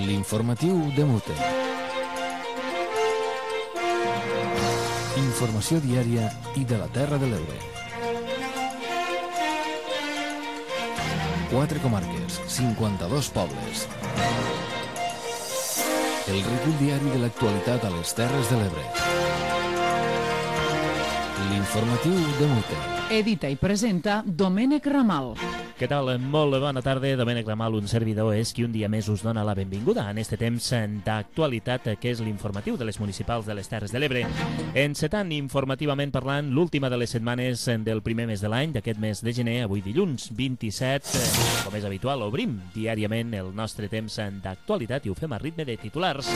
L'informatiu de Mute. Informació diària i de la Terra de l'Ebre. 4 comarques, 52 pobles. El recull diari de l'actualitat a les Terres de l'Ebre. L'informatiu de Mute. Edita i presenta Domènec Ramal. Què tal? Molt bona tarda. Domènec Ramal, un servidor, és qui un dia més us dona la benvinguda en este temps d'actualitat que és l'informatiu de les municipals de les Terres de l'Ebre. Encetant informativament parlant l'última de les setmanes del primer mes de l'any, d'aquest mes de gener, avui dilluns 27, com és habitual, obrim diàriament el nostre temps d'actualitat i ho fem a ritme de titulars.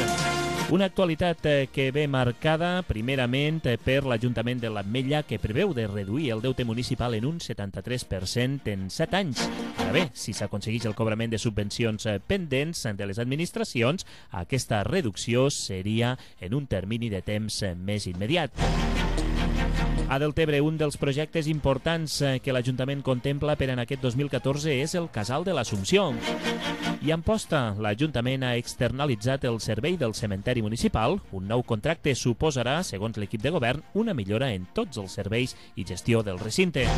Una actualitat que ve marcada primerament per l'Ajuntament de l'Ametlla, que preveu de reduir el deute municipal en un 73% en 7 anys. Ara bé, si s'aconsegueix el cobrament de subvencions pendents de les administracions, aquesta reducció seria en un termini de temps més immediat. A Deltebre, un dels projectes importants que l'Ajuntament contempla per en aquest 2014 és el Casal de l'Assumpció. I en Amposta, l'Ajuntament ha externalitzat el servei del cementeri municipal. Un nou contracte suposarà, segons l'equip de govern, una millora en tots els serveis i gestió del recinte.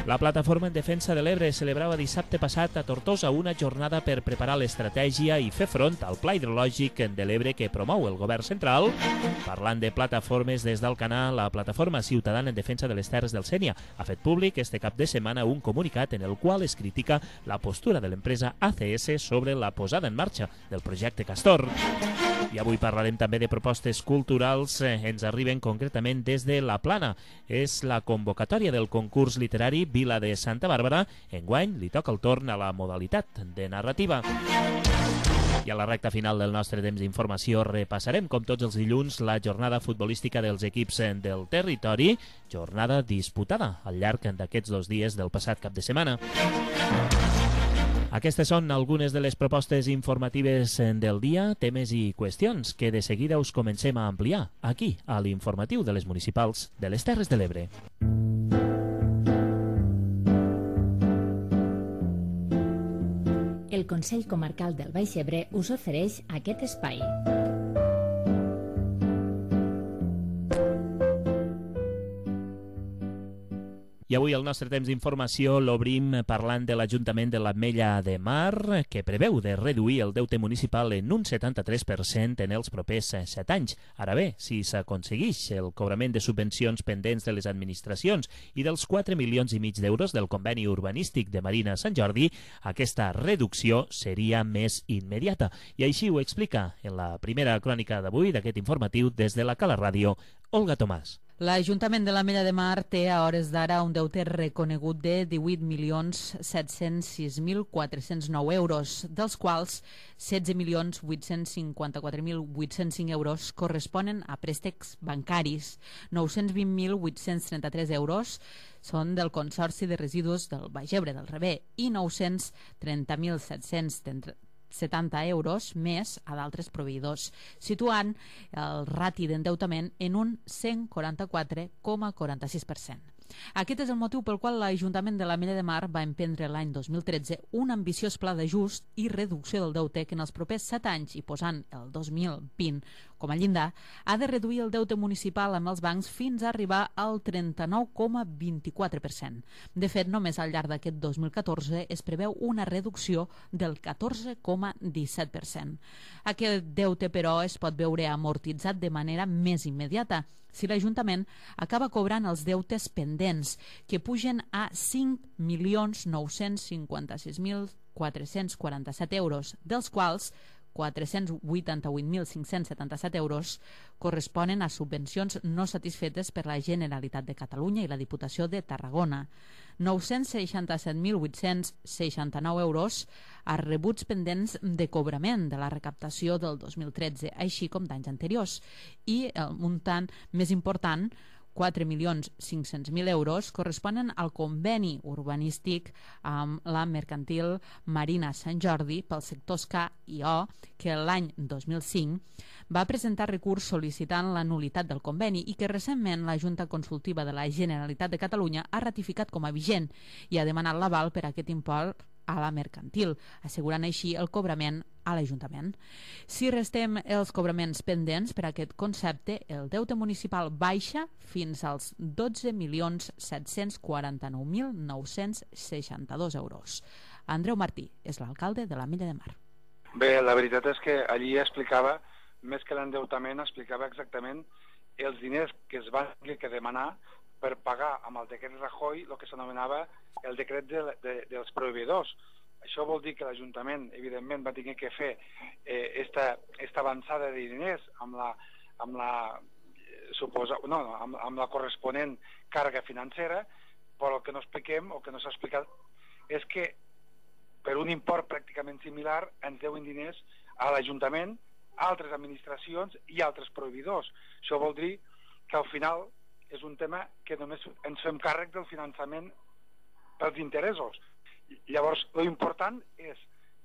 La Plataforma en Defensa de l'Ebre celebrava dissabte passat a Tortosa una jornada per preparar l'estratègia i fer front al Pla Hidrològic de l'Ebre que promou el govern central. Parlant de plataformes, des d'Alcanar, la Plataforma Ciutadana en Defensa de les Terres del Sénia ha fet públic este cap de setmana un comunicat en el qual es critica la postura de l'empresa ACS sobre la posada en marxa del projecte Castor. I avui parlarem també de propostes culturals. Ens arriben concretament des de La Plana. És la convocatòria del concurs literari Vila de Santa Bàrbara. Enguany li toca el torn a la modalitat de narrativa. I a la recta final del nostre temps d'informació repassarem, com tots els dilluns, la jornada futbolística dels equips del territori, jornada disputada al llarg d'aquests 2 dies del passat cap de setmana. Aquestes són algunes de les propostes informatives del dia, temes i qüestions que de seguida us comencem a ampliar aquí, a l'informatiu de les municipals de les Terres de l'Ebre. El Consell Comarcal del Baix Ebre us ofereix aquest espai. I avui el nostre temps d'informació l'obrim parlant de l'Ajuntament de l'Ametlla de Mar, que preveu de reduir el deute municipal en un 73% en els propers 7 anys. Ara bé, si s'aconsegueix el cobrament de subvencions pendents de les administracions i dels 4,5 milions d'euros del conveni urbanístic de Marina Sant Jordi, aquesta reducció seria més immediata. I així ho explica en la primera crònica d'avui d'aquest informatiu des de la Cala Ràdio, Olga Tomàs. L'Ajuntament de l'Ametlla de Mar té a hores d'ara un deute reconegut de 18.706.409 euros, dels quals 16.854.805 euros corresponen a préstecs bancaris, 920.833 euros són del Consorci de Residus del Baix Ebre del Rebé i 930.770 euros més a d'altres proveïdors, situant el rati d'endeutament en un 144,46%. Aquest és el motiu pel qual l'Ajuntament de l'Ametlla de Mar va emprendre l'any 2013 un ambiciós pla d'ajust i reducció del deute que en els propers 7 anys, i posant el 2020 com a llindar, ha de reduir el deute municipal amb els bancs fins a arribar al 39,24%. De fet, només al llarg d'aquest 2014 es preveu una reducció del 14,17%. Aquest deute, però, es pot veure amortitzat de manera més immediata si l'Ajuntament acaba cobrant els deutes pendents, que pugen a 5.956.447 euros, dels quals 488.577 euros corresponen a subvencions no satisfetes per la Generalitat de Catalunya i la Diputació de Tarragona, 967.869 euros a rebuts pendents de cobrament de la recaptació del 2013, així com d'anys anteriors, i el muntant més important, 4.500.000 euros, corresponen al conveni urbanístic amb la mercantil Marina Sant Jordi pels sectors K i O, que l'any 2005 va presentar recurs sol·licitant la nul·litat del conveni i que recentment la Junta Consultiva de la Generalitat de Catalunya ha ratificat com a vigent i ha demanat l'aval per a aquest import a la mercantil, assegurant així el cobrament a l'Ajuntament. Si restem els cobraments pendents per aquest concepte, el deute municipal baixa fins als 12.749.962 euros. Andreu Martí és l'alcalde de l'Ametlla de Mar. Bé, la veritat és que allí explicava, més que l'endeutament, explicava exactament els diners que es van demanar per pagar amb el decret Rajoy el que s'anomenava el decret dels proveïdors. Això vol dir que l'Ajuntament, evidentment, va tenir que fer esta avançada de diners amb la corresponent càrrega financera, però el que no expliquem, o que no s'ha explicat, és que per un import pràcticament similar ens deuen diners a l'Ajuntament, a altres administracions i altres proveïdors. Això vol dir que al final és un tema que només ens fem càrrec del finançament pels interessos. Llavors, l'important és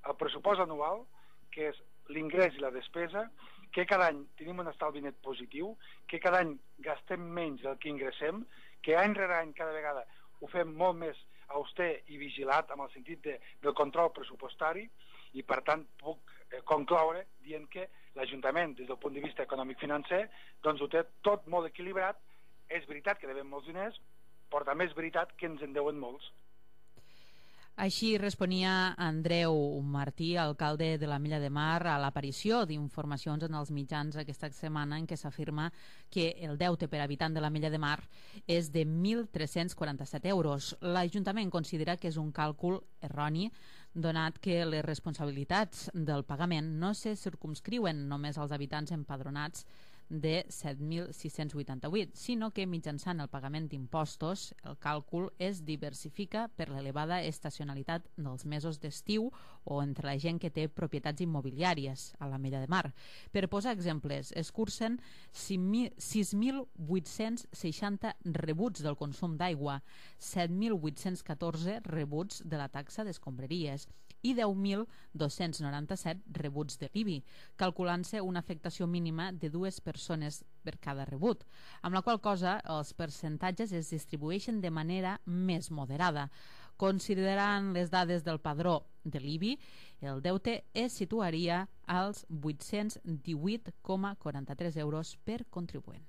el pressupost anual, que és l'ingrés i la despesa, que cada any tenim un estalvi net positiu, que cada any gastem menys del que ingressem, que any rere any cada vegada ho fem molt més auster i vigilat amb el sentit del control pressupostari, i per tant puc concloure dient que l'Ajuntament, des del punt de vista econòmic-financer, doncs ho té tot molt equilibrat. És veritat que devem molts diners, però també és veritat que ens en deuen molts. Així responia Andreu Martí, alcalde de l'Ametlla de Mar, a l'aparició d'informacions en els mitjans aquesta setmana en què s'afirma que el deute per habitant de l'Ametlla de Mar és de 1.347 euros. L'Ajuntament considera que és un càlcul erroni, donat que les responsabilitats del pagament no se circumscriuen només als habitants empadronats de 7.688, sinó que mitjançant el pagament d'impostos el càlcul es diversifica per l'elevada estacionalitat dels mesos d'estiu o entre la gent que té propietats immobiliàries a l'Ametlla de Mar. Per posar exemples, es cursen 6.860 rebuts del consum d'aigua, 7.814 rebuts de la taxa d'escombraries i 10.297 rebuts de l'IBI, calculant-se una afectació mínima de 2 persones per cada rebut, amb la qual cosa els percentatges es distribueixen de manera més moderada. Considerant les dades del padró de l'IBI, el deute es situaria als 818,43 euros per contribuent.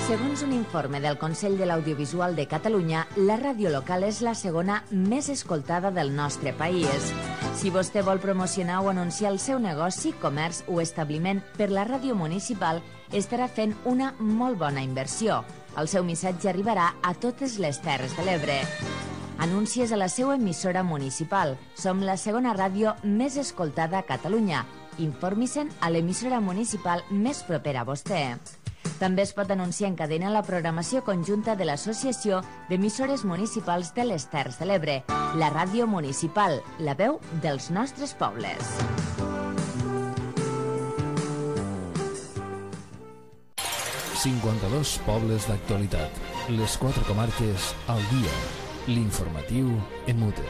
Segons un informe del Consell de l'Audiovisual de Catalunya, la ràdio local és la segona més escoltada del nostre país. Si vostè vol promocionar o anunciar el seu negoci, comerç o establiment per la ràdio municipal, estarà fent una molt bona inversió. El seu missatge arribarà a totes les Terres de l'Ebre. Anuncies a la seva emissora municipal. Som la segona ràdio més escoltada a Catalunya. Informi-se'n a l'emissora municipal més propera a vostè. També es pot anunciar en cadena la programació conjunta de l'Associació d'Emissores Municipals de les Terres de l'Ebre, la ràdio municipal, la veu dels nostres pobles. ...52 pobles d'actualitat. Les 4 comarques al dia. L'informatiu en Mute.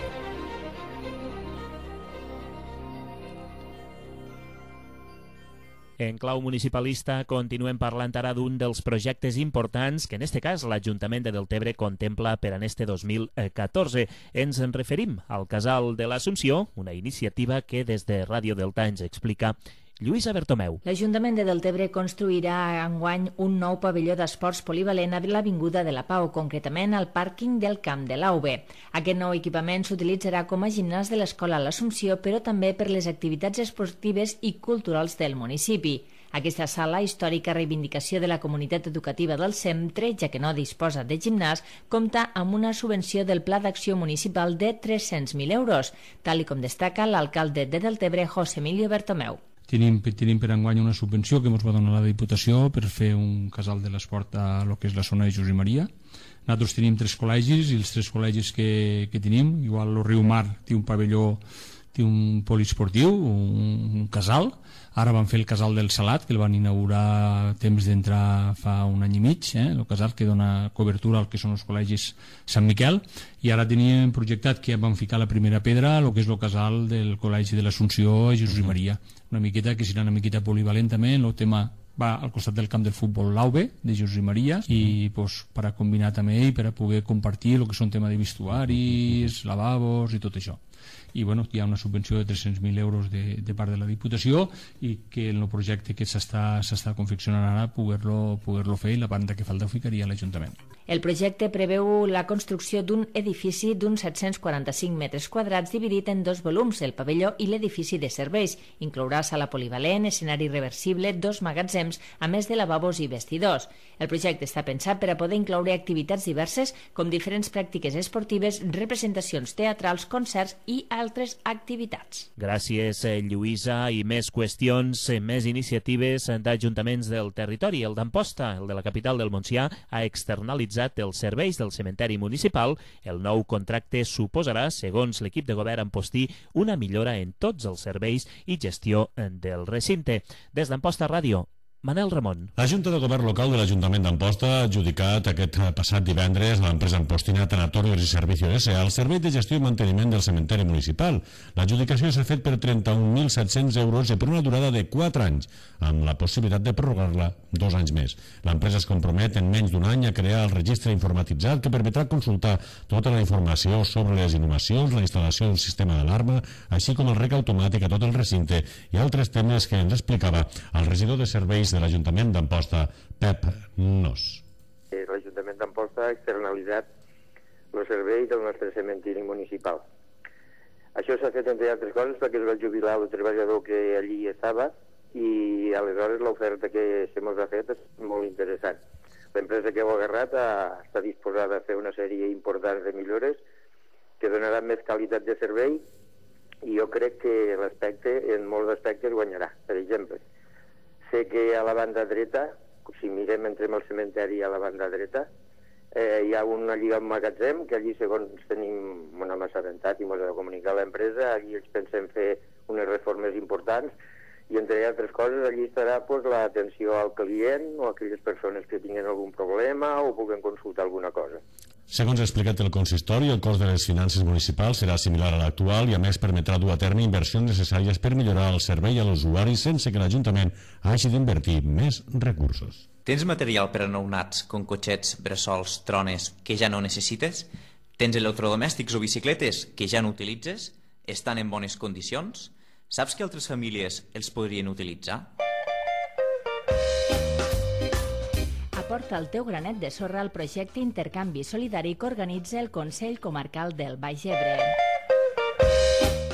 En clau municipalista continuem parlant ara d'un dels projectes importants que en este cas l'Ajuntament de Deltebre contempla per en este 2014. Ens en referim al Casal de l'Assumpció, una iniciativa que des de Ràdio Delta ens explica Lluïsa Bertomeu. L'Ajuntament de Deltebre construirà enguany un nou pavelló d'esports polivalent a l'Avinguda de la Pau, concretament al pàrquing del Camp de l'Auve. Aquest nou equipament s'utilitzarà com a gimnàs de l'Escola L'Assumpció, però també per les activitats esportives i culturals del municipi. Aquesta sala, històrica reivindicació de la comunitat educativa del centre, ja que no disposa de gimnàs, compta amb una subvenció del Pla d'Acció Municipal de 300.000 euros, tal com destaca l'alcalde de Deltebre, José Emilio Bertomeu. Tenim per enguany una subvenció que ens va donar la Diputació per fer un casal de l'esport a lo que és la zona de Josep Maria. Nosaltres tenim 3 col·legis i els 3 col·legis que tenim, igual el Riu Mar té un pavelló, té un poliesportiu, un casal. Ara van fer el casal del Salat, que el van inaugurar temps d'entrar fa un any i mig, el casal que dona cobertura al que són els col·legis Sant Miquel, i ara teníem projectat que van ficar la primera pedra al que és el casal del Col·legi de l'Assumpció a Josep Maria. Una miqueta que serà una miqueta polivalent també en el tema va al costat del camp del futbol l'AUBE de Jesús i Maria, i pues, per a combinar també i per a poder compartir el que són tema de vestuaris, lavabos i tot això. I bueno, hi ha una subvenció de 300.000 euros de part de la Diputació, i que en el projecte que s'està confeccionant ara poder-lo fer, i la part que falta ho ficaria a l'Ajuntament. El projecte preveu la construcció d'un edifici d'uns 745 metres quadrats dividit en 2 volums, el pavelló i l'edifici de serveis. Inclourà sala polivalent, escenari reversible, 2 magatzems, a més de lavabos i vestidors. El projecte està pensat per a poder incloure activitats diverses com diferents pràctiques esportives, representacions teatrals, concerts i altres activitats. Gràcies, Lluïsa. I més qüestions, més iniciatives d'ajuntaments del territori. El d'Amposta, el de la capital del Montsià, ha externalitzat els serveis del cementeri municipal. El nou contracte suposarà, segons l'equip de govern ampostí, una millora en tots els serveis i gestió del recinte. Des d'Amposta Ràdio, Manel Ramon. La Junta de Govern Local de l'Ajuntament d'Amposta ha adjudicat aquest passat divendres a l'empresa ampostina Tanatorios i Servicios S.A. el servei de gestió i manteniment del cementeri municipal. L'adjudicació s'ha fet per 31.700 euros i per una durada de 4 anys, amb la possibilitat de prorrogar-la 2 anys més. L'empresa es compromet en menys d'un any a crear el registre informatitzat que permetrà consultar tota la informació sobre les inhumacions, la instal·lació d'un sistema d'alarma, així com el rec automàtic a tot el recinte i altres temes que ens explicava el regidor de serveis de l'Ajuntament d'Amposta, Pep Nos. L'Ajuntament d'Amposta ha externalitzat el servei del nostre cementiri municipal. Això s'ha fet, entre altres coses, perquè es va jubilar el treballador que allí estava i aleshores l'oferta que se mos ha fet és molt interessant. L'empresa que ho ha agarrat està disposada a fer una sèrie important de millores que donaran més qualitat de servei i jo crec que l'aspecte, en molts aspectes, guanyarà. Per exemple, sé que a la banda dreta, si mirem, entrem al cementeri a la banda dreta, hi ha una lliga amb magatzem, que allí, segons tenim una massa assabentat i ens ha de comunicar a l'empresa, allí ells pensem fer unes reformes importants, i entre altres coses allí estarà l'atenció al client o a aquelles persones que tinguin algun problema o puguen consultar alguna cosa. Segons ha explicat el consistori, el cost de les finances municipals serà similar a l'actual i a més permetrà dur a terme inversions necessàries per millorar el servei a l'usuari sense que l'Ajuntament hagi d'invertir més recursos. Tens material per a nounats, com cotxets, bressols, trones, que ja no necessites? Tens electrodomèstics o bicicletes que ja no utilitzes? Estan en bones condicions? Saps que altres famílies els podrien utilitzar? Aporta el teu granet de sorra al projecte Intercanvi Solidari que organitza el Consell Comarcal del Baix Ebre.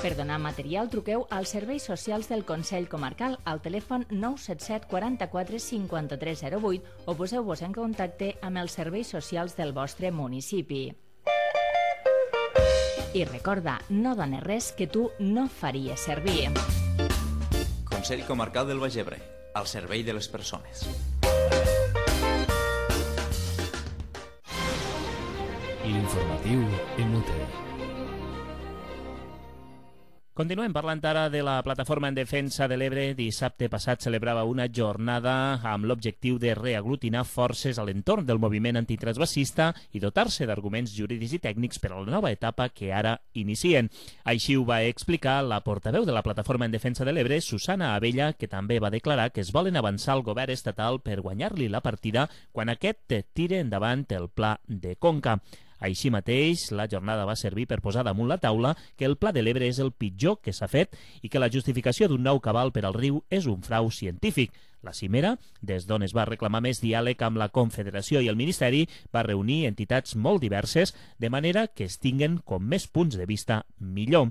Per donar material, truqueu als serveis socials del Consell Comarcal al telèfon 977 44 53 08 o poseu-vos en contacte amb els serveis socials del vostre municipi. I recorda, no dones res que tu no faries servir. Consell Comarcal del Baix Ebre, al servei de les persones. L'informatiu en UTE. Continuem parlant ara de la Plataforma en Defensa de l'Ebre. Dissabte passat celebrava una jornada amb l'objectiu de reaglutinar forces a l'entorn del moviment antitransvasista i dotar-se d'arguments jurídics i tècnics per a la nova etapa que ara inicien. Així ho va explicar la portaveu de la Plataforma en Defensa de l'Ebre, Susana Abella, que també va declarar que es volen avançar al govern estatal per guanyar-li la partida quan aquest tire endavant el pla de Conca. Així mateix, la jornada va servir per posar damunt la taula que el Pla de l'Ebre és el pitjor que s'ha fet i que la justificació d'un nou cabal per al riu és un frau científic. La cimera, des d'on es va reclamar més diàleg amb la Confederació i el Ministeri, va reunir entitats molt diverses, de manera que es tinguen com més punts de vista millor.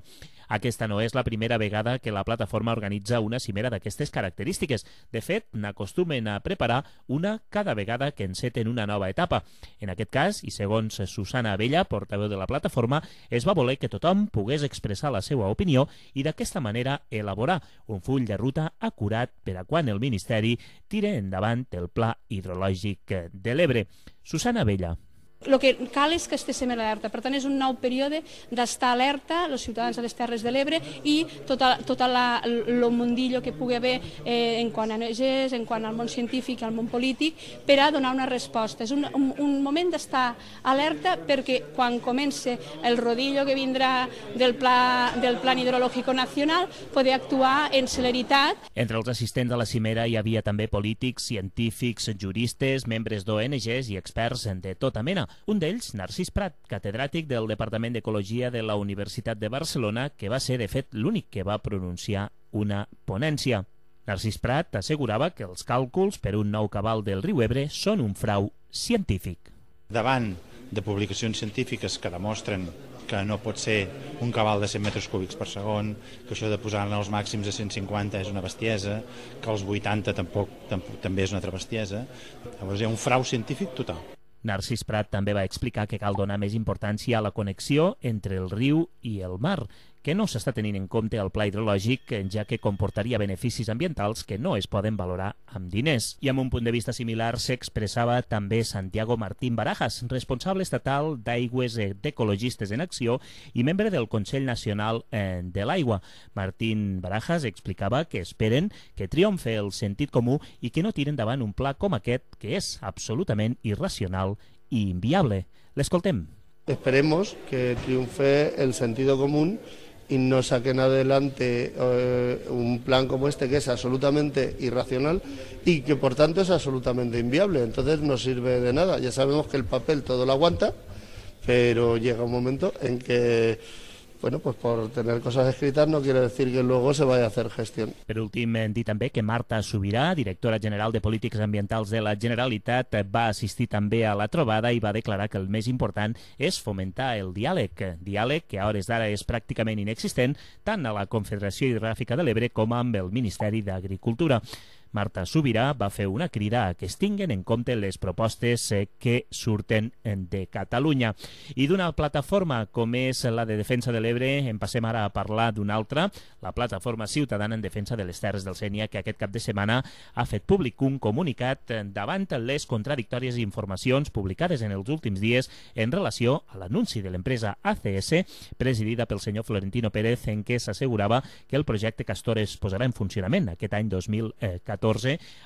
Aquesta no és la primera vegada que la plataforma organitza una cimera d'aquestes característiques. De fet, n'acostumen a preparar una cada vegada que enceten una nova etapa. En aquest cas, i segons Susana Abella, portaveu de la plataforma, es va voler que tothom pogués expressar la seva opinió i d'aquesta manera elaborar un full de ruta acurat per a quan el Ministeri tire endavant el Pla Hidrològic de l'Ebre. Susana Abella. El que cal és que estiguem alerta. Per tant, és un nou període d'estar alerta, els ciutadans de les Terres de l'Ebre i tot el mundillo que pugui haver en quant a ONGs, en quant al món científic, al món polític, per a donar una resposta. És un moment d'estar alerta perquè quan comence el rodillo que vindrà del Plan Hidrológico Nacional, poder actuar en celeritat. Entre els assistents a la cimera hi havia també polítics, científics, juristes, membres d'ONGs i experts de tota mena. Un d'ells, Narcís Prat, catedràtic del Departament d'Ecologia de la Universitat de Barcelona, que va ser, de fet, l'únic que va pronunciar una ponència. Narcís Prat assegurava que els càlculs per un nou cabal del riu Ebre són un frau científic. Davant de publicacions científiques que demostren que no pot ser un cabal de 100 metres cúbics per segon, que això de posar-ne els màxims a 150 és una bestiesa, que els 80 tampoc també és una altra bestiesa. Llavors hi ha un frau científic total. Narcís Prat també va explicar que cal donar més importància a la connexió entre el riu i el mar, que no s'està tenint en compte al pla hidrològic, ja que comportaria beneficis ambientals que no es poden valorar amb diners. I amb un punt de vista similar s'expressava també Santiago Martín Barajas, responsable estatal d'Aigües d'Ecologistes en Acció i membre del Consell Nacional de l'Aigua. Martín Barajas explicava que esperen que triomfe el sentit comú i que no tiren davant un pla com aquest, que és absolutament irracional i inviable. L'escoltem. Esperemos que triunfe el sentido común y no saquen adelante un plan como este que es absolutamente irracional y que por tanto es absolutamente inviable. Entonces no sirve de nada. Ya sabemos que el papel todo lo aguanta, pero llega un momento en que, bueno, pues por tener cosas escritas no quiere decir que luego se vaya a hacer gestión. Per últim, dir també que Marta Subirà, directora general de Polítiques Ambientals de la Generalitat, va assistir també a la trobada i va declarar que el més important és fomentar el diàleg que a hores d'ara és pràcticament inexistent tant a la Confederació Hidrogràfica de l'Ebre com amb el Ministeri d'Agricultura. Marta Subirà va fer una crida a que es tinguen en compte les propostes que surten de Catalunya. I d'una plataforma com és la de Defensa de l'Ebre en passem ara a parlar d'una altra, la Plataforma Ciutadana en Defensa de les Terres del Sénia, que aquest cap de setmana ha fet públic un comunicat davant les contradictòries informacions publicades en els últims dies en relació a l'anunci de l'empresa ACS, presidida pel senyor Florentino Pérez, en què s'assegurava que el projecte Castor es posarà en funcionament aquest any 2014,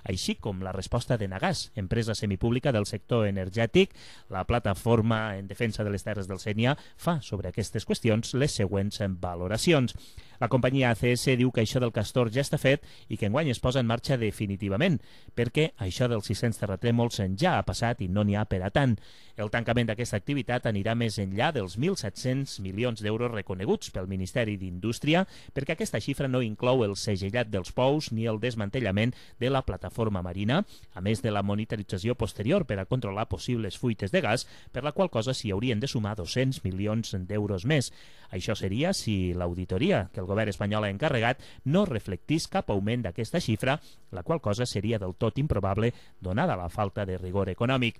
així com la resposta d'Enagás, empresa semipública del sector energètic. La Plataforma en Defensa de les Terres del Sénia fa sobre aquestes qüestions les següents valoracions. La companyia ACS diu que això del Castor ja està fet i que enguany es posa en marxa definitivament, perquè això dels 600 terratrèmols ja ha passat i no n'hi ha per a tant. El tancament d'aquesta activitat anirà més enllà dels 1.700 milions d'euros reconeguts pel Ministeri d'Indústria, perquè aquesta xifra no inclou el segellat dels pous ni el desmantellament de la plataforma marina, a més de la monitorització posterior per a controlar possibles fuites de gas, per la qual cosa s'hi haurien de sumar 200 milions d'euros més. Això seria si l'auditoria que el govern espanyol ha encarregat no reflectís cap augment d'aquesta xifra, la qual cosa seria del tot improbable donada la falta de rigor econòmic.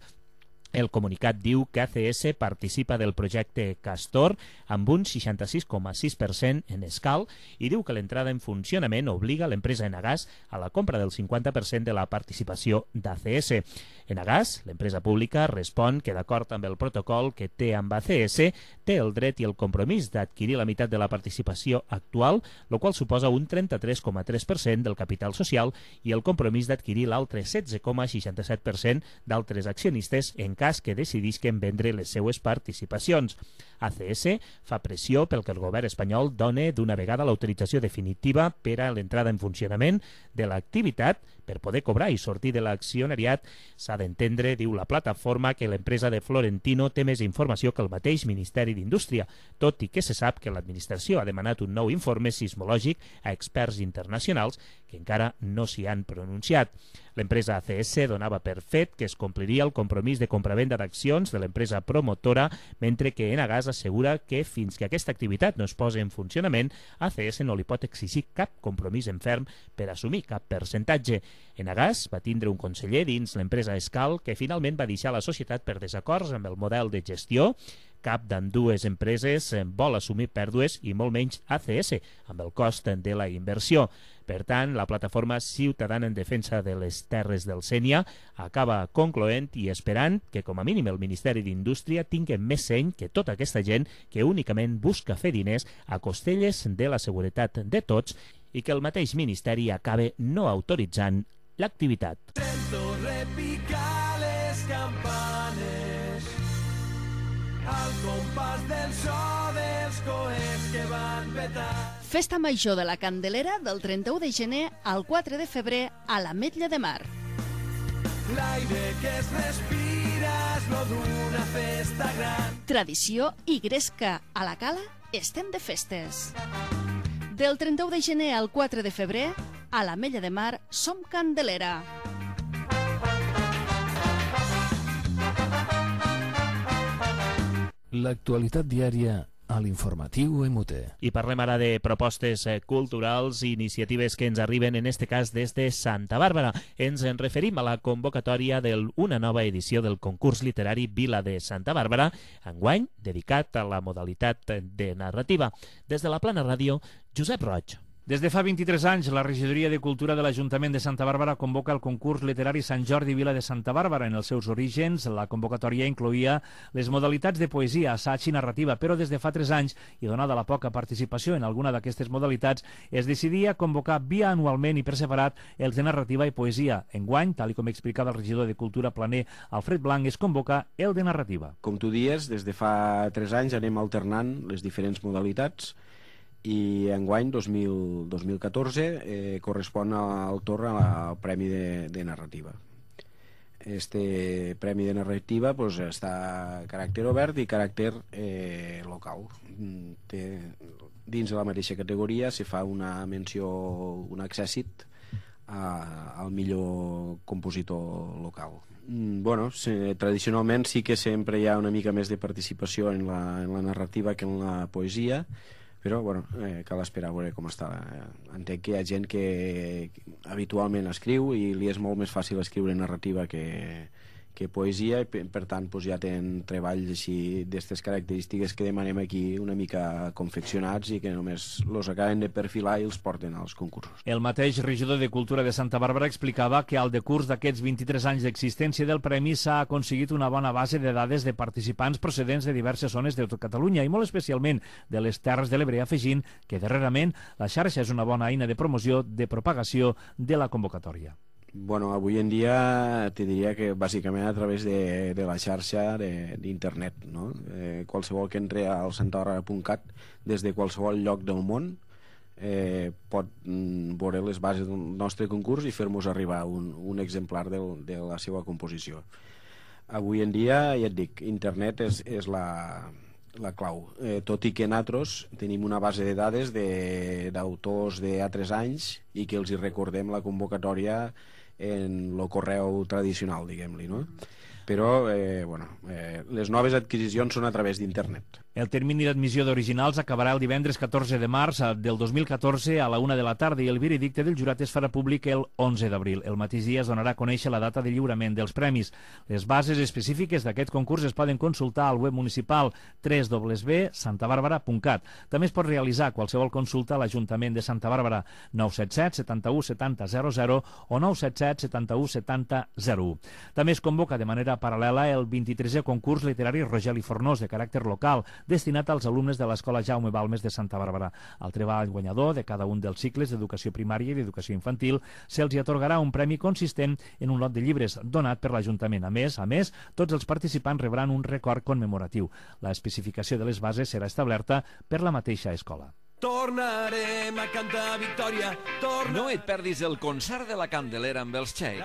El comunicat diu que ACS participa del projecte Castor amb un 66,6% en escal i diu que l'entrada en funcionament obliga l'empresa Enagás a la compra del 50% de la participació d'ACS. Enagás, l'empresa pública, respon que d'acord amb el protocol que té amb ACS, té el dret i el compromís d'adquirir la meitat de la participació actual, el qual suposa un 33,3% del capital social i el compromís d'adquirir l'altre 16,67% d'altres accionistes en cas que decidisquen vendre les seues participacions. ACS fa pressió pel que el govern espanyol doni d'una vegada l'autorització definitiva per a l'entrada en funcionament de l'activitat per poder cobrar i sortir de l'accionariat. S'ha d'entendre, diu la plataforma, que l'empresa de Florentino té més informació que el mateix Ministeri d'Indústria, tot i que se sap que l'administració ha demanat un nou informe sismològic a experts internacionals que encara no s'hi han pronunciat. L'empresa ACS donava per fet que es compliria el compromís de compravenda d'accions de l'empresa promotora, mentre que Enagás assegura que fins que aquesta activitat no es posi en funcionament, ACS no li pot exigir cap compromís en ferm per assumir cap percentatge. Enagás va tindre un conseller dins l'empresa Escal que finalment va deixar la societat per desacords amb el model de gestió, Cap d'ambdues empreses vol assumir pèrdues i molt menys ACS, amb el cost de la inversió. Per tant, la plataforma ciutadana en defensa de les terres del Sénia acaba concloent i esperant que, com a mínim, el Ministeri d'Indústria tingui més seny que tota aquesta gent que únicament busca fer diners a costelles de la seguretat de tots i que el mateix Ministeri acabe no autoritzant l'activitat. Sento repicar les campanes al compàs del so dels coets que van petar. Festa Major de la Candelera del 31 de gener al 4 de febrer a l'Ametlla de Mar. L'aire que es respira és lo d'una festa gran. Tradició i gresca. A la Cala estem de festes. Del 31 de gener al 4 de febrer, a l'Ametlla de Mar som Candelera. L'actualitat diària a l'informatiu MUT. I parlem ara de propostes culturals i iniciatives que ens arriben, en este cas, des de Santa Bàrbara. Ens en referim a la convocatòria d'una nova edició del concurs literari Vila de Santa Bàrbara, enguany dedicat a la modalitat de narrativa. Des de la Plana Ràdio, Josep Roig. Des de fa 23 anys, la Regidoria de Cultura de l'Ajuntament de Santa Bàrbara convoca el concurs literari Sant Jordi Vila de Santa Bàrbara. En els seus orígens, la convocatòria incloïa les modalitats de poesia, assaig i narrativa, però des de fa 3 anys, i donada la poca participació en alguna d'aquestes modalitats, es decidia convocar bianualment i per separat els de narrativa i poesia. Enguany, tal com explicava el regidor de Cultura planer Alfred Blanc, es convoca el de narrativa. Com tu dies, des de fa 3 anys anem alternant les diferents modalitats i enguany, 2014, correspon al torn al Premi de Narrativa. Este Premi de Narrativa està a caràcter obert i caràcter local. Dins de la mateixa categoria se fa una menció, un accèssit al millor compositor local. Tradicionalment sí que sempre hi ha una mica més de participació en la narrativa que en la poesia, però cal esperar a veure com està. Entenc que hi ha gent que habitualment escriu i li és molt més fàcil escriure narrativa que poesia, i per tant ja tenen treballs així d'aquestes característiques que demanem aquí una mica confeccionats i que només els acaben de perfilar i els porten als concursos. El mateix regidor de Cultura de Santa Bàrbara explicava que al decurs d'aquests 23 anys d'existència del Premi s'ha aconseguit una bona base de dades de participants procedents de diverses zones de tot Catalunya i molt especialment de les Terres de l'Ebre, afegint que darrerament la xarxa és una bona eina de promoció, de propagació de la convocatòria. Avui en dia te diria que bàsicament a través de la xarxa d'internet. Qualsevol que entre al santabarra.cat des de qualsevol lloc del món pot veure les bases del nostre concurs i fer-nos arribar un exemplar de la seva composició. Avui en dia, ja et dic, internet és la clau, tot i que nosaltres tenim una base de dades d'autors d'altres anys i que els hi recordem la convocatòria en el correu tradicional, diguem-li, no? Però, les noves adquisicions són a través d'internet. El termini d'admissió d'originals acabarà el divendres 14 de març del 2014 a la 1 de la tarda i el veredicte del jurat es farà públic el 11 d'abril. El mateix dia es donarà a conèixer la data de lliurament dels premis. Les bases específiques d'aquest concurs es poden consultar al web municipal www.santabarbara.cat. També es pot realitzar qualsevol consulta a l'Ajuntament de Santa Bàrbara 977 71 70 00 o 977 71 70 01. També es convoca de manera paral·lela el 23è concurs literari Rogeli Fornós de caràcter local, destinat als alumnes de l'Escola Jaume Balmes de Santa Bàrbara. Al treball guanyador de cada un dels cicles d'educació primària i d'educació infantil se'ls atorgarà un premi consistent en un lot de llibres donat per l'Ajuntament. A més, tots els participants rebran un record commemoratiu. La especificació de les bases serà establerta per la mateixa escola. Tornarem a cantar victòria. No et perdis el concert de la Candelera amb els Txec.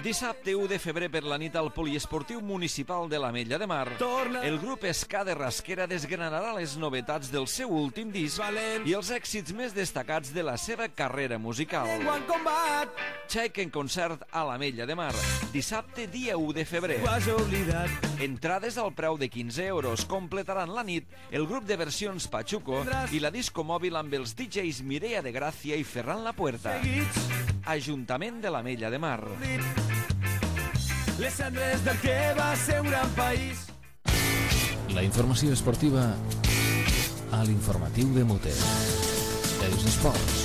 Dissabte 1 de febrer per la nit al Poliesportiu Municipal de l'Ametlla de Mar. El grup Ska de Rasquera desgranarà les novetats del seu últim disc i els èxits més destacats de la seva carrera musical. Txec en concert a l'Ametlla de Mar. Dissabte dia 1 de febrer. Entrades al preu de 15 euros. Completaran la nit el grup de versions Pachuco i la disco mòbil amb els DJs Mireia de Gràcia i Ferran Lapuerta. Ajuntament de l'Ametlla de Mar. Les cendres del que va ser un gran país. La informació esportiva a l'informatiu de Muter. Els esports.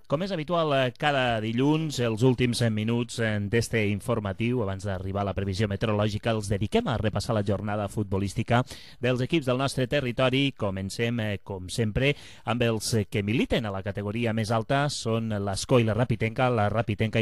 Com és habitual, cada dilluns, els últims minuts d'este informatiu, abans d'arribar a la previsió meteorològica, els dediquem a repassar la jornada futbolística dels equips del nostre territori. Comencem, com sempre, amb els que militen a la categoria més alta. Són l'Escó i la Rapitenca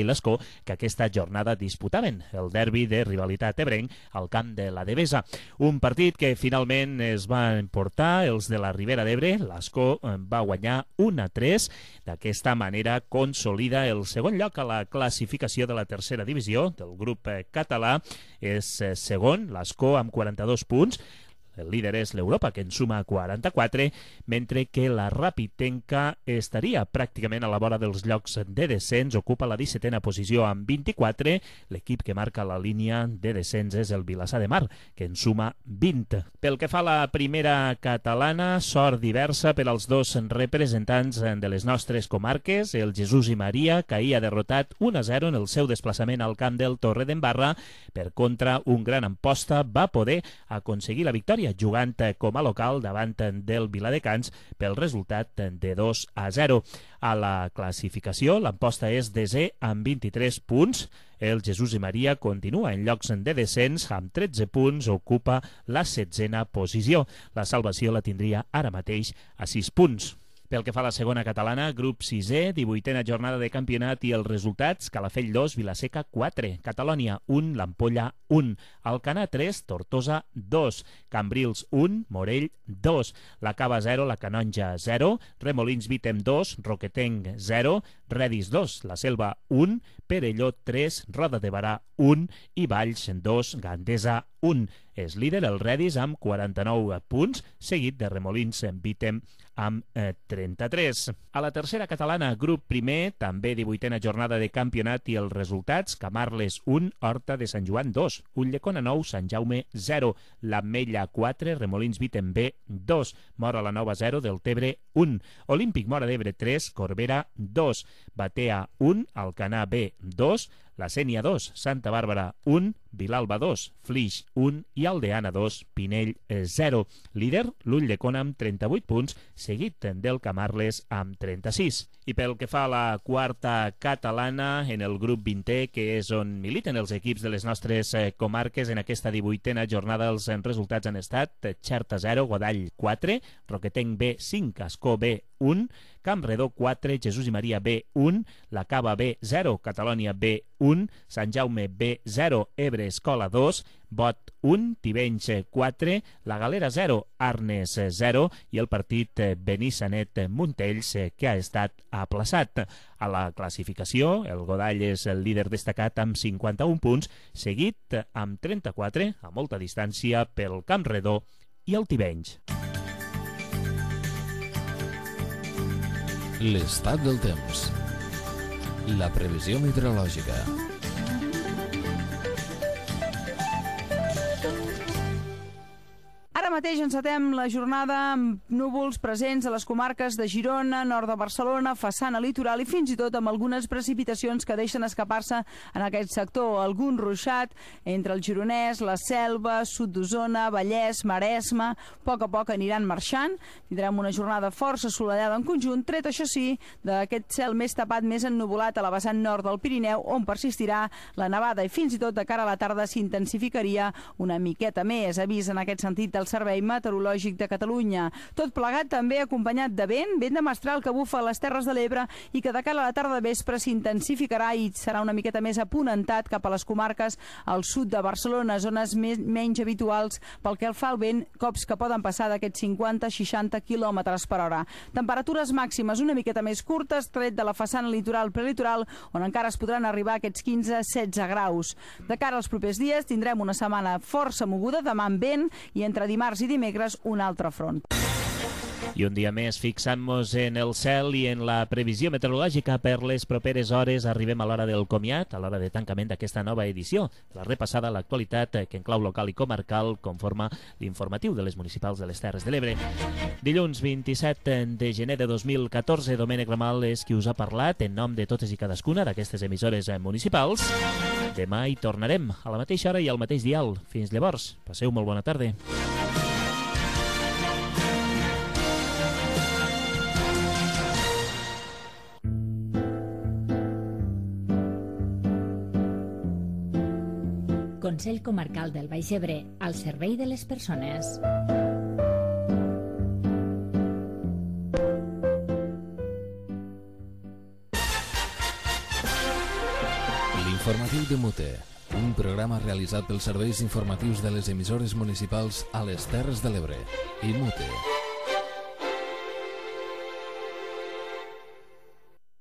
i l'Escó, que aquesta jornada disputaven el derbi de rivalitat ebrenc al camp de la Devesa. Un partit que finalment es va emportar els de la Ribera d'Ebre. L'Escó va guanyar 1-3. D'aquesta manera consolida el segon lloc a la classificació de la tercera divisió del grup català. És segon, l'Escó, amb 42 punts. El líder és l'Europa, que en suma 44, mentre que la Rapitenca estaria pràcticament a la vora dels llocs de descens, ocupa la 17a posició amb 24. L'equip que marca la línia de descens és el Vilassar de Mar, que en suma 20. Pel que fa a la primera catalana, sort diversa per als dos representants de les nostres comarques. El Jesús i Maria caïa derrotat 1-0 en el seu desplaçament al camp del Torredembarra. Per contra, un gran Amposta va poder aconseguir la victòria jugant com a local davant del Viladecans pel resultat de 2-0. A la classificació, l'Amposta és desè amb 23 punts. El Jesús i Maria continua en llocs de descens, amb 13 punts, ocupa la 16a posició. La salvació la tindria ara mateix a 6 punts. Pel que fa a la segona catalana, grup 6è, 18a jornada de campionat i els resultats: Calafell 2, Vilaseca 4, Catalònia 1, l'Ampolla 1, Alcanar 3, Tortosa 2, Cambrils 1, Morell 2, la Cava 0, la Canonja 0, Remolins Vítem 2, Roquetenc 0, Redis 2, la Selva 1, Perelló 3, Roda de Barà 1 i Valls 2, Gandesa 1. És líder el Redis amb 49 punts, seguit de Remolins Vítem amb 33. A la tercera catalana, grup primer, també 18a jornada de campionat i els resultats: Camarles 1, Horta de Sant Joan 2, Ulldecona 9, Sant Jaume 0, l'Ametlla 4, Remolins Vítem B 2, Mora la Nova 0, Deltebre 1, Olímpic Mora d'Ebre 3, Corbera 2, Batea 1, Alcanar B 2, la Sénia 2, Santa Bàrbara 1, Vilalba 2, Flix 1 i Aldeana 2, Pinell 0. Líder, l'Ulldecona amb 38 punts, seguit del Camarles amb 36. I pel que fa a la quarta catalana, en el grup 20è, que és on militen els equips de les nostres comarques, en aquesta 18a jornada els resultats han estat: Xerta 0, Godall 4, Roquetenc B 5, Ascó B 1, Campredó 4, Jesús i Maria B 1, la Cava B 0, Catalònia B 1, Sant Jaume B 0, Ebre Escola 2, Bot 1, Tivenys 4, la Galera 0, Arnes 0 i el partit Benissanet-Montells, que ha estat aplaçat. A la classificació, el Godall és el líder destacat amb 51 punts, seguit amb 34, a molta distància, pel Campredó i el Tivenys. L'estat del temps. La previsió meteorològica. Ara mateix encetem la jornada amb núvols presents a les comarques de Girona, nord de Barcelona, façana litoral i fins i tot amb algunes precipitacions que deixen escapar-se en aquest sector. Algun ruixat entre el Gironès, la Selva, sud d'Osona, Vallès, Maresme. A poc aniran marxant. Tindrem una jornada força assolellada en conjunt, tret, això sí, d'aquest cel més tapat, més ennuvolat a la vessant nord del Pirineu, on persistirà la nevada i fins i tot de cara a la tarda s'intensificaria una miqueta més. Avís en aquest sentit del Servei Meteorològic de Catalunya. Tot plegat també acompanyat de vent de mestral que bufa a les Terres de l'Ebre i que de cara a la tarda de vespre s'intensificarà i serà una miqueta més aponentat cap a les comarques al sud de Barcelona, zones menys habituals pel que fa al vent, cops que poden passar d'aquests 50-60 km per hora. Temperatures màximes una miqueta més curtes, tret de la façana litoral prelitoral, on encara es podran arribar a aquests 15-16 graus. De cara als propers dies tindrem una setmana força moguda, demà amb vent i entre dimarts i dimecres un altre front. I un dia més fixant-nos en el cel i en la previsió meteorològica per les properes hores. Arribem a l'hora del comiat, a l'hora de tancament d'aquesta nova edició. La repassada a l'actualitat que en clau local i comarcal conforma l'informatiu de les municipals de les Terres de l'Ebre. Dilluns 27 de gener de 2014, Domènec Ramal és qui us ha parlat en nom de totes i cadascuna d'aquestes emissores municipals. Demà hi tornarem a la mateixa hora i al mateix dial. Fins llavors, passeu molt bona tarda. Consell Comarcal del Baix Ebre, al servei de les persones. L'informatiu de Mute, un programa realitzat pels serveis informatius de les emissores municipals a les Terres de l'Ebre i Mute.